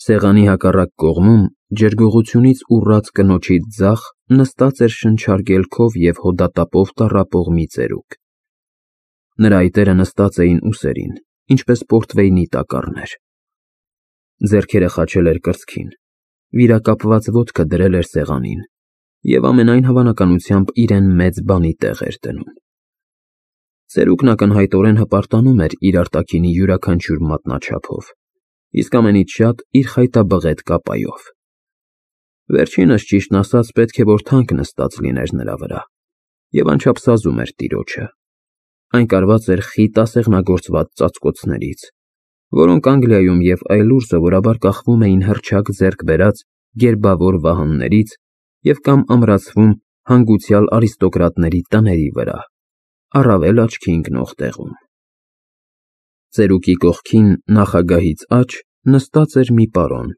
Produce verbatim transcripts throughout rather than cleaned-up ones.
Սեղանի հակառակ կողմում, ջերգողությունից ուռած կնոջից ձախ, նստած էր շնչարգելքով և հոդատապով տառապող մի ծերուկ։ Նրա այտերը նստած էին ուսերին, ինչպես պորտվեյնի տակառներ։ Ձեռքերը խաչել էր կրծքին, վիրակապված ոտքը դրել էր սեղանին և ամենայն հավանականությամբ իրեն մեծ բանի տեղ էր դնում։ Ծերուկն ակնհայտորեն հպարտանում էր իր արտաքինի յուրաքանչյուր մատնաչափով, իսկ ամենից շատ իր խայտաբղետ կապայով։ Վերջինս, ճիշտն ասած, պետք է որ թանկ նստած լիներ նրա վրա և անչափ սազում էր տիրոջը։ Այն կարված էր խիտ ասեղնագործված ծածկոցներից, որոնք Անգլիայում և այլուր սովորաբար կախվում էին հռչակ ձեռք բերած գերբավոր վահաններից և կամ ամրացվում հանգուցյալ արիստոկրատների տների վրա, առավել աչքի ընկնող տեղում։ Ծերուկի կողքին, նախագահից աջ, նստած էր մի պարոն,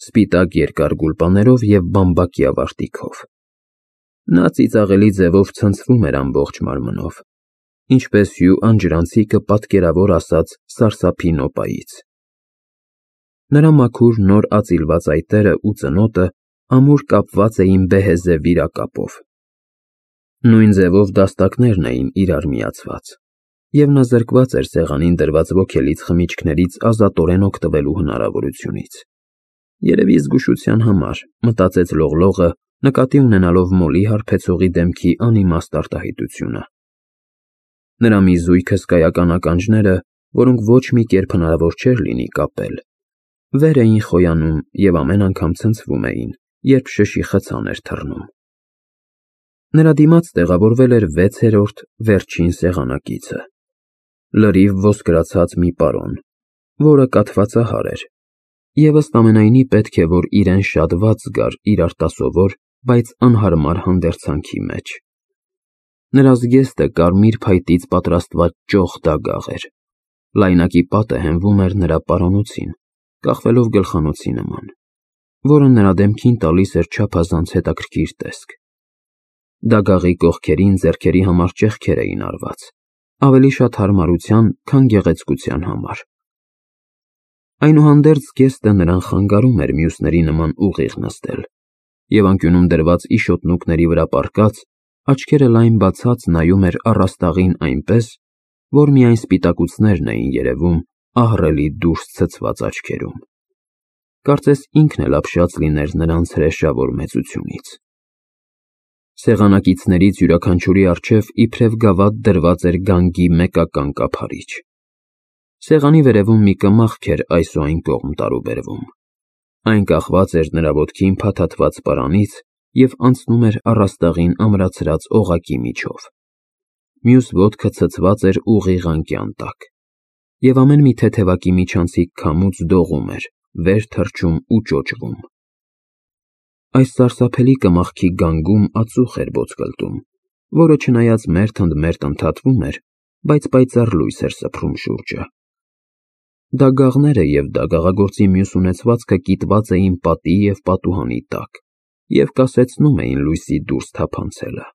սպիտակ երկար գուլպաներով և բամբակյա վարտիքով։ Նա ծիծաղելի ձևով ցնցվում էր ամբողջ մարմնով, ինչպես հյու անջրանցիկը պատկերավոր ասած սարսափի նոպայից։ Նրա մաքուր նոր ածիլված այտերն ու ծնոտը ամուր կապված էին բեհեզե վիրակապով։ Նույն ձևով դաստակներն էին իրար միացված, և նա զրկված էր սեղանին դրված ոգելից խմիչքներից ազատորեն օգտվելու հնարավորությունից։ Երևի զգուշության համար, մտածեց Լողլողը, նկատի ունենալով Մոլի հարբեցողի դեմքի անիմաստ արտահայտությունը։ Նրա մի զույգ հսկայական ականջները, որոնք ոչ մի կերպ հնարավոր չէր լինի կապել, վեր էին խոյանում և ամեն անգամ ցնցվում էին, երբ շշի խցան էր թռնում։ Նրա դիմաց տեղավորվել էր վեցերորդ, վերջին սեղանակիցը, լրիվ ոսկրացած մի պարոն, որը կաթվածահար էր և ըստ ամենայնի պետք է որ իրեն շատ վատ զգար իր արտասովոր, բայց անհարմար հանդերձանքի մեջ։ Նրա զգեստը կարմիր փայտից պատրաստված ճոխ դագաղ էր, լայնակի պատը հենվում էր նրա պարանոցին, կախվելով գլխանոցի նման, որը նրա դեմքին տալիս էր չափազանց հետաքրքիր տեսք։ Դագաղի կողքերին ձեռքերի համար ճեղքեր էին արված, ավելի շատ հարմարության, քան գեղեցկության համար։ Այնուհանդերձ զգեստը նրան խանգարում էր մյուսների նման ուղիղ նստել, և անկյունում դրված իշոտնուկների վրա պառկած, աչքերը լայն բացած նայում էր առաստաղին այնպես, որ միայն սպիտակուցներն էին երևում ահռելի դուրս ցցված աչքերում։ Կարծես ինքն էլ ապշած լիներ նրանց հրեշավոր մեծությունից։ Սեղանակիցներից յուրաքանչյուրի առջև իբրև գավաթ դրված էր գանգի մեկական կափարիչ։ Սեղանի վերևում մի կմախք էր այս ու այն կողմ տարուբերվում։ Այն կախված էր նրա ոտքին փաթաթված պարանից և անցնում էր առաստաղին ամրացրած օղակի միջով։ Մյուս ոտքը ցցված էր ուղիղ անկյան տակ, և ամեն մի թեթևակի միջանցիկ քամուց դողում էր, վեր թռչում ու ճոճվում։ Այս սարսափելի կմախքի գանգում ածուխ էր ոտկլտում, որը չնայած մերթ ընդ մերթ ընդհատվում էր, բայց պայծառ լույս էր սփռում շուրջը։ Դագաղները և դագաղագործի մյուս ունեցվածքը կիտված էին պատի և պատուհանի տակ և կասեցնում էին լույսի դուրս թափանցելը։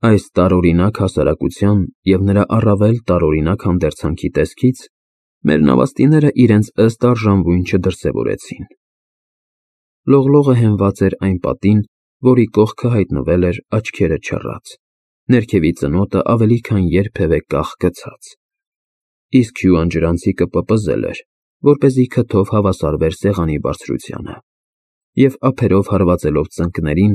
Այս տարօրինակ հասարակության և նրա առավել տարօրինակ հանդերձանքի տեսքից մեր նավաստիները իրենց ըստ արժանվույն չդրսևորեցին։ Լողլողը հենված էր այն պատին, որի կողքը հայտնվել էր աչքերը չռած, ներքևի ծնոտը ավելի քան երբևէ կախ գցած, իսկ հյու անջրանցիկը պպզել էր, որպեսզի քթով հավասարվեր սեղանի բարձրությանը, և ափերով հարվածելով ծնկներին,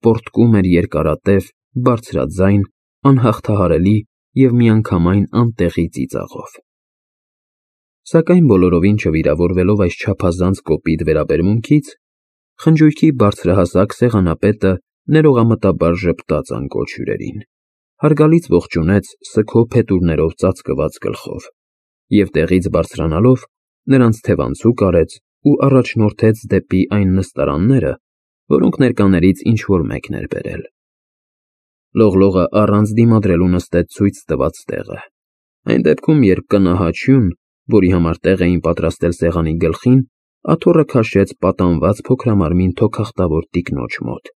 պոռթկում էր երկարատև, բարձրաձայն, անհաղթահարելի և միանգամայն անտեղի ծիծաղով։ Սակայն բոլորովին չվիրավորվելով այս չափազանց կոպիտ վերաբերմունքից, խնջույքի բարձրահասակ սեղանապետը ներողամտաբար ժպտաց անկոչ հյուրերին, հարգալից ողջունեց սգո փետուրներով ծածկված գլխով և տեղից բարձրանալով նրանց թևանցուկ արեց ու առաջնորդեց դեպի այն նստարանները, որոնք ներկաներից ինչ֊որ մեկն էր բերել։ Լողլողը առանց դիմադրելու նստեց ցույց տված տեղը, այն դեպքում, երբ կնահաճ հյուն, որի համար տեղ էին պատրաստել սեղանի գլխին, աթոռը քաշեց պատանված փոքրամարմին թոքախտավոր տիկնոջ մոտ,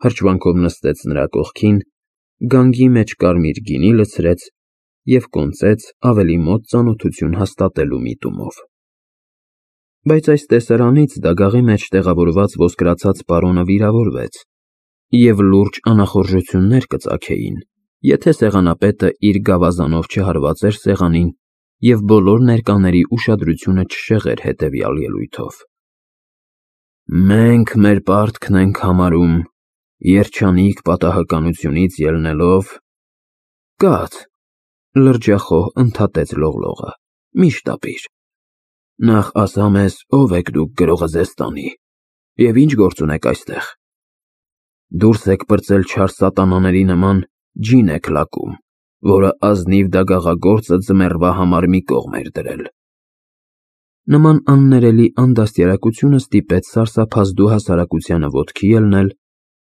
հրճվանքով նստեց նրա կողքին, գանգի մեջ կարմիր գինի լցրեց և կոնծեց ավելի մոտ ծանոթություն հաստատելու միտումով։ Բայց այս տեսարանից դագաղի մեջ տեղավորված ոսկրացած պարոնը վիրավորվեց, և լուրջ անախորժություններ կծագեին, եթե սեղանապետը իր գավազանով չհարված էր սեղանին և բոլոր ներկաների ուշադրությունը չշեղեր հետևյալ ելույթով. «Մենք մեր պարտքն ենք համարում, երջանիկ պատահականությունից ելնելով…» Կաց, լրջախոհ ընդհատեց Լողլողը, մի շտապիր, նախ ասա մեզ ով եք դուք գրողը ձեզ տանի, և ինչ գործ ունեք այստեղ։ Դուրս եք պրծել չար սատանաների նման, ջին եք լակում, որը ազնիվ դագաղագործը ձմեռվա համար մի կողմ էր դրել։ Նման աններելի անդաստիարակությունը ստիպեց սարսափազդու հասարակությանը ոտքի ելնել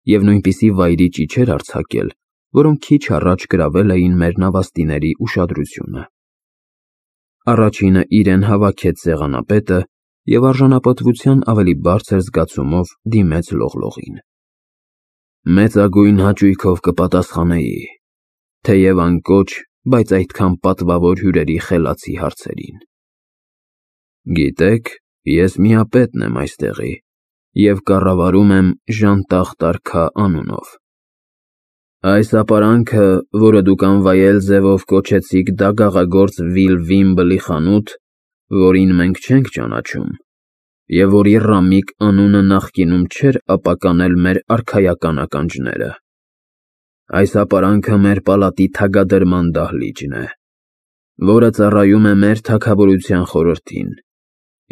և նույնպիսի վայրի ճիչեր արձակել, որոնք քիչ առաջ գրավել էին մեր նավաստիների ուշադրությունը։ Առաջինը իրեն հավաքեց սեղանապետը և արժանապատվության ավելի բարձր զգացումով դիմեց Լողլողին։ Մեծագույն հաճույքով կպատասխանեի, թեև անկոչ, բայց այդքան պատվավոր հյուրերի խելացի հարցերին։ Գիտեք, ես միապետն եմ այստեղի և կառավարում եմ Ժանտախ արքա անունով։ Այս ապարանքը, որը դուք անվայել ձևով կոչեցիք դագաղագործ Վիլվիմբլի խանութ, որին մենք չենք ճանաչում, և որի ռամիկ անունը նախկինում չէր ապականել մեր արքայական ականջները, այս ապարանքը մեր պալատի թագադրման դահլիճն է, որը ծառայում է մեր թագավորության խորհրդին,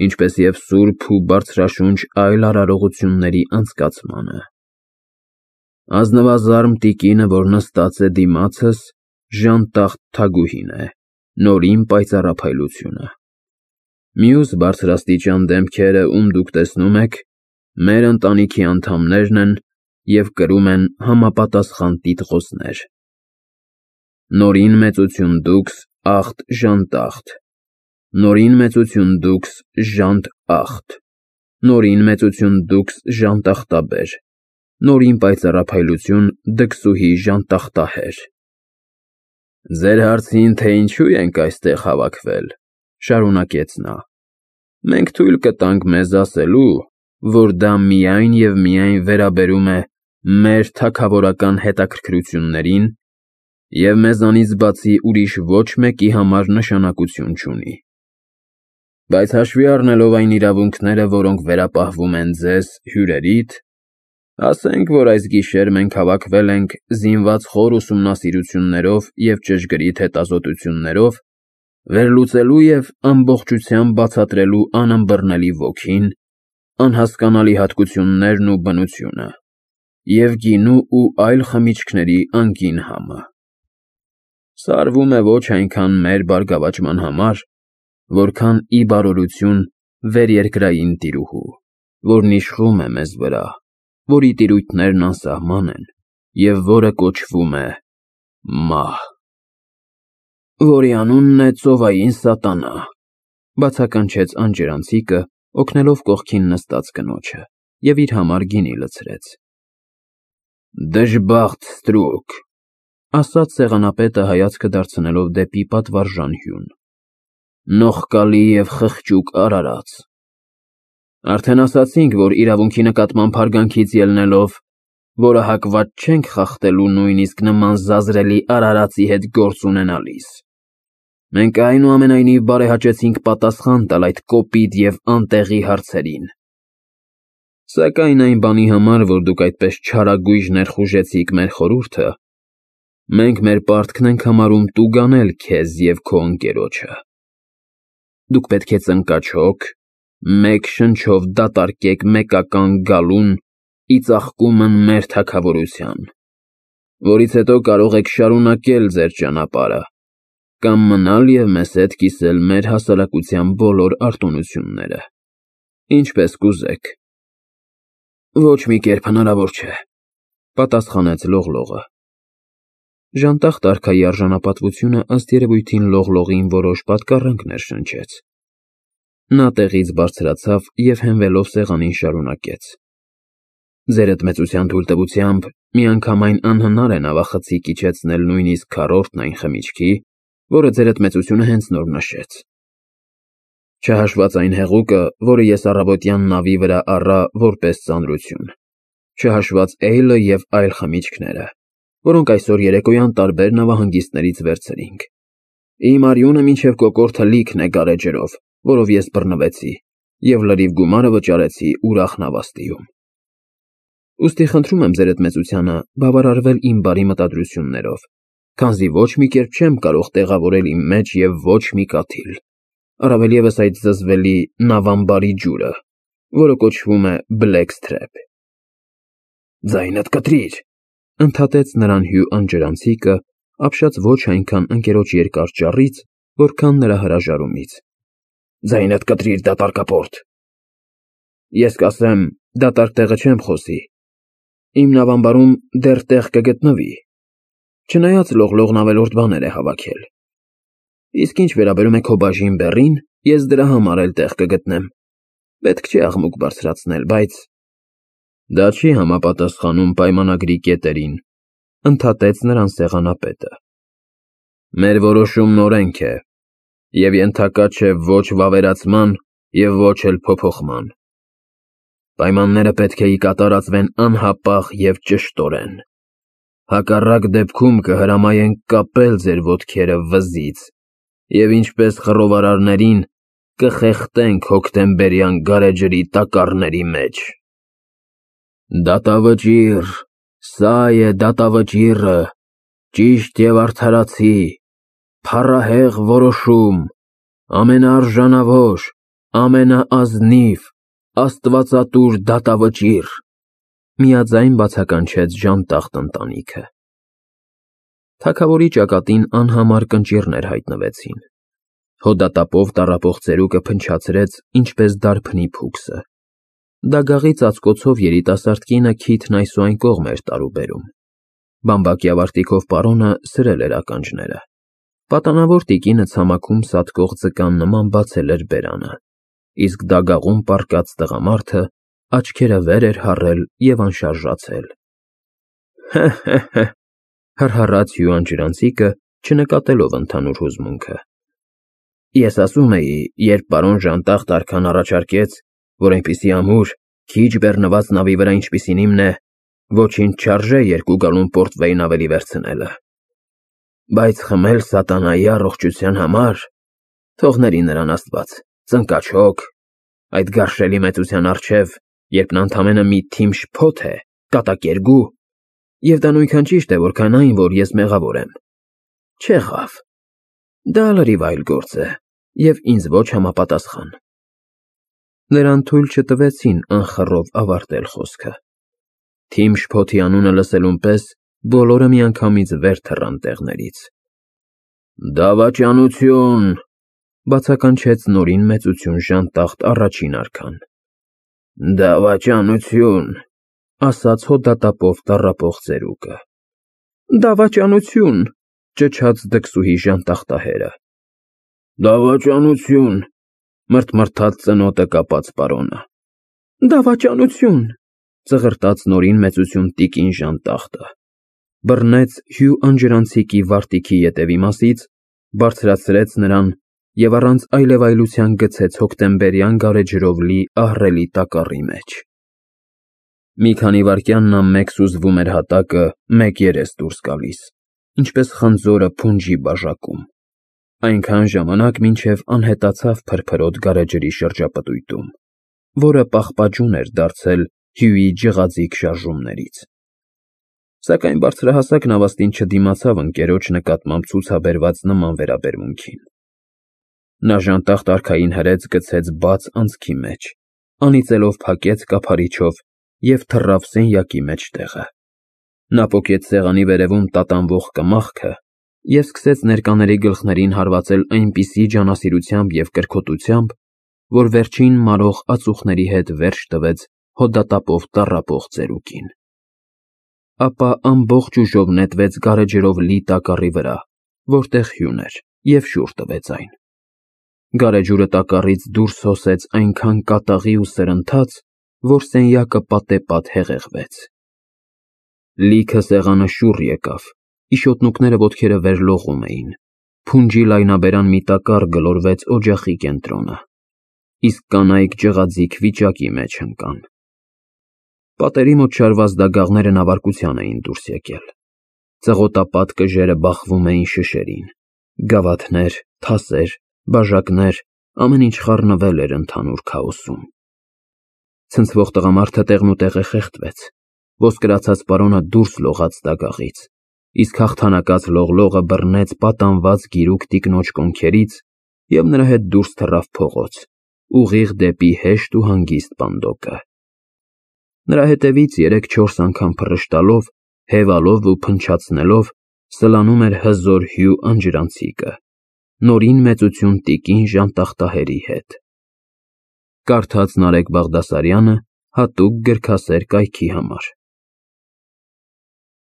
ինչպես և սուրբ ու բարձրաշունչ այլ արարողությունների անցկացմանը։ Ազնվազարմ տիկինը, որ նստած է դիմացս, Ժանտախ թագուհին է, Նորին պայծառափայլությունը։ Մյուս բարձրաստիճան դեմքերը, ում դուք տեսնում եք, մեր ընտանիքի անդամներն են և կրում են համապատասխան տիտղոսներ. Նորին մեծություն դուքս Ախտ Ժանտախտ, Նորին մեծություն դուքս Ժանտ Ախտ, Նորին մեծություն դուքս Ժանտախտաբեր, Նորին պայծառափայլություն Դքսուհի Ժանտախտահեր։ Ձեր հարցին, թե ինչու ենք այստեղ հավաքվել, շարունակեց նա, մենք թույլ կտանք մեզ ասելու, որ դա միայն և միայն վերաբերում է մեր թագավորական հետաքրքրություններին և մեզանից բացի ուրիշ ոչ մեկի համար նշանակություն չունի։ Բայց հաշվի առնելով այն իրավունքները, որոնք վերապահվում են ձեզ՝ հյուրերիդ, ասենք, որ այս գիշեր մենք հավաքվել ենք զինված խոր ուսումնասիրություններով և ճշգրիտ հետազոտություններով վերլուծելու և ամբողջությամբ բացատրելու անըմբռնելի ոգին, անհասկանալի հատկություններն ու բնությունը և գինու ու այլ խմիչքների անկին համը։ Սարվում է ոչ այնքան մեր բարգավաճման համար, որքան ի բարօրություն վերերկրային տիրուհու, որն իշխում է մեզ վրա, որի տիրույթներն անսահման են և որը կոչվում է մահ։ Որի անունն է ծովային սատանա, բացականչեց անջրանցիկը, օգնելով կողքին նստած կնոջը, և իր համար գինի լցրեց։ Դժբախտ ստրուկ, ասաց սեղանապետը հայացքը դարձնելով դեպի պատվարժան հյուն, նողկալի և խղճուկ արարած։ Արդեն ասացինք, որ իրավունքի նկատմամբ հարգանքից ելնելով, որը հակված չենք խախտելու նույնիսկ նման զազրելի արարածի հետ գործ ունենալիս, մենք այնուամենայնիվ բարեհաճեցինք պատասխան տալ այդ կոպիտ և անտեղի հարցերին։ Սակայն այն բանի համար, որ դուք այդպես չարագույժ ներխուժեցիք մեր խորհուրդը, մենք մեր պարտքն ենք համարում տուգանել քեզ և քո ընկերոջը։ Դուք պետք է ծնկաչոք, մեկ շնչով դատարկեք մեկական գալուն ի ծաղկումն մեր թագավորության, որից հետո կարող եք շարունակել ձեր ճանապարհը կամ մնալ և մեզ հետ կիսել մեր հասարակության բոլոր արտոնությունները, ինչպես կուզեք։ Ոչ մի կերպ հնարավոր չէ, պատասխանեց Լողլողը։ Ժանտախ արքայի արժանապատվությունը ըստ երևույթին Լողլողին որոշ պատկառանքներ շնչեց։ Նա տեղից բարձրացավ և հենվելով սեղանին շարունակեց. Ձերդ մեծության թույլտվությամբ միանգամայն անհնար է նավախցիկ իջեցնել նույնիսկ քառորդն այն խմիչքի, որը ձերդ մեծությունը հենց նոր նշեց։ Չհաշված այն հեղուկը, որը ես առավոտյան նավի վրա առա որպես ծանրություն, չհաշված էյլը և այլ խմիչքները, որոնք այսօր երեկոյան տարբեր նավահանգիստներից վերցրինք։ Իմ արյունը մինչև կոկորդը լիքն է գարեջրով, որով ես բռնվեցի, և լրիվ գումարը վճարեցի ուրախ նավաստիում։ Ուստի խնդրում եմ ձեր մեծությանը բավարարվել իմ բարի մտադրություններով, քանզի ոչ մի կերպ չեմ կարող տեղավորել իմ մեջ և ոչ մի կաթիլ, առավել ևս այդ զզվելի նավամբարի ջուրը, որը կոչվում է Blackstrap։ Ձայնդ կտրիր, ընդհատեց նրան Հյու անջրանցիկը, ապշած ոչ այնքան ընկերոջ երկար ճառից, որքան նրա հրաժարումից։ Ձայնդ կտրիր, դատարկապորտ։ Ես կասեմ, դատարկ տեղը չեմ խոսի։ Իմ նավամբարում դեռ տեղ կգտնվի, չնայած լողլողն ավելորդ բաներ է հավաքել։ Իսկ ինչ վերաբերում է քո բաժին բեռին, ես դրա համար էլ տեղ կգտնեմ։ Պետք չէ աղմուկ բարձրացնել, բայց… Դա չի համապատասխանում պայմանագրի կետերին, ընդհատեց նրան սեղանապետը։ Մեր որոշումն օրենք է, և ենթակա չէ ոչ վավերացման և ոչ էլ փոփոխման։ Պայմանները պետք է ի կատարածվեն անհապաղ և ճշտորեն։ Հակառակ դեպքում կհրամայենք կապել ձեր ոտքերը վզից և ինչպես խռովարարներին կխեղդենք հոկտեմբերյան գարեջրի տակառների մեջ։ Դատավճիռ, սա է դատավճիռը, ճիշտ և արդարացի, փառահեղ որոշում, ամենաարժանավոր, ամենաազնիվ, աստվածատուր դատավճիռ, միաձայն բացականչեց ժանտախտ ընտանիքը։ Թագավորի ճակատին անհամար կնճիռներ հայտնվեցին։ Հոդատապով տառապող ծերուկը փնչացրեց, ինչպես դարբնի փուքսը։ Դագաղի ծածկոցով երիտասարդ կինը քիթն այս ու այն կողմ էր տարուբերում։ Բամբակյա վարտիքով պարոնը սրել էր ականջները։ Պատանավոր տիկինը ցամաքում սատկող ձկան նման բացել էր բերանը, իսկ դագաղում պառկած տղամարդը աչքերը վեր էր հառել և անշարժացել։ Հը՛֊հը՛֊հը՛, հռհռաց Հյու անջրանցիկը, չնկատելով ընդհանուր հուզմունքը։ Ես ասում էի, երբ պարոն Ժանտախտ արքան առաջարկեց, որ այնպիսի ամուր, քիչ բեռնված նավի վրա, ինչպիսին իմն է, ոչինչ չարժե երկու գալուն պորտվեյն ավելի վերցնելը, բայց խմել սատանայի առողջության համար… Թողների նրան Աստված, ծնկաչոք, այդ գարշելի մեծության առջև, երբ նա ընդամենը մի թիմ շփոթ է, կատակերգու, և դա նույնքան ճիշտ է, որքան այն, որ ես մեղավոր եմ։ Չեղավ, դա լրիվ այլ գործ է և ինձ ոչ համապատասխան։ Նրան թույլ չտվեցին անխռով ավարտել խոսքը։ Թիմ շփոթի անունը լսելուն պես բոլորը միանգամից վեր թռան տեղներից։ Դավաճանություն, բացականչեց նորին մեծություն Ժանտախտ առաջին արքան։ Դավաճանություն, ասաց հոդատապով տառապող ծերուկը։ Դավաճանություն, ճչաց դքսուհի ժանտախտահերը։ Դավաճանություն, մռթմռթաց ծնոտը կապած պարոնը։ Դավաճանություն, ծղրտաց նորին մեծություն տիկին Ժանտախտը։ Բռնեց Հյու անջրանցիկի վարտիքի ետևի մասից, բարձրացրեց նրան և առանց այլևայլության գցեց հոկտեմբերյան գարեջրով լի ահռելի տակառի մեջ։ Մի քանի վայրկյան նա մեկ սուզվում էր հատակը, մեկ երես դուրս գալիս, ինչպես խնձորը փունջի բաժակում, այնքան ժամանակ, մինչև անհետացավ փրփրոտ գարեջրի շրջապտույտում, որը պաղպաջուն էր դարձել Հյուի ջղաձիգ շարժումներից։ Սակայն բարձրահասակ նավաստին չդիմացավ ընկերոջ նկատմամբ ցուցաբերված նման վերաբերմունքին։ Նա Ժանտախտ արքային հրեց գցեց բաց անցքի մեջ, անիծելով փակեց կափարիչով և թռավ սենյակի մեջտեղը։ Նա պոկեց սեղանի վերևում տատանվող կմախքը և սկսեց ներկաների գլխներին հարվածել այնպիսի ջանասիրությամբ և կրքոտությամբ, որ վերջին մարող ածուխների հետ վերջ տվեց հոդատապով տառապող ծերուկին։ Ապա ամբողջ ուժով նետվեց գարեջրով լի տակառի վրա, որտեղ Հյուն էր, և շուռ տվեց այն։ Գարեջուրը տակառից դուրս հոսեց այնքան կատաղի ու սրընթաց, որ սենյակը պատեպատ հեղեղվեց։ Լիքը սեղանը շուռ եկավ, իշոտնուկները ոտքերը վեր լողում էին, փունջի լայնաբերան մի տակառ գլորվեց օջախի կենտրոնը, իսկ կանայք ջղաձիգ վիճակի մեջ ընկան։ Պատերի մոտ շարված դագաղները նավարկության էին դուրս եկել։ Ծղոտապատ կժերը բախվում էին շշերին, գավաթներ, թասեր, բաժակներ, ամեն ինչ խառնվել էր ընդհանուր քաոսում։ Ցնցվող տղամարդը տեղնուտեղը խեղդվեց, ոսկրացած պարոնը դուրս լողաց դագաղից, իսկ հաղթանակած լողլողը բռնեց պատանված գիրուկ տիկնոջ կոնքերից և նրա հետ դուրս թռավ փողոց, ուղիղ դեպի հեշտ ու հանգիստ պանդոկը։ Նրա հետևից երեք֊չորս անգամ փռշտալով, հևալով ու փնչացնելով սլանում էր հզոր հյու անջրանցիկը, Նորին մեծություն տիկին Ժանտախտահերի հետ։ Կարդաց Նարեկ Բաղդասարյանը հատուկ գրքասեր կայքի համար։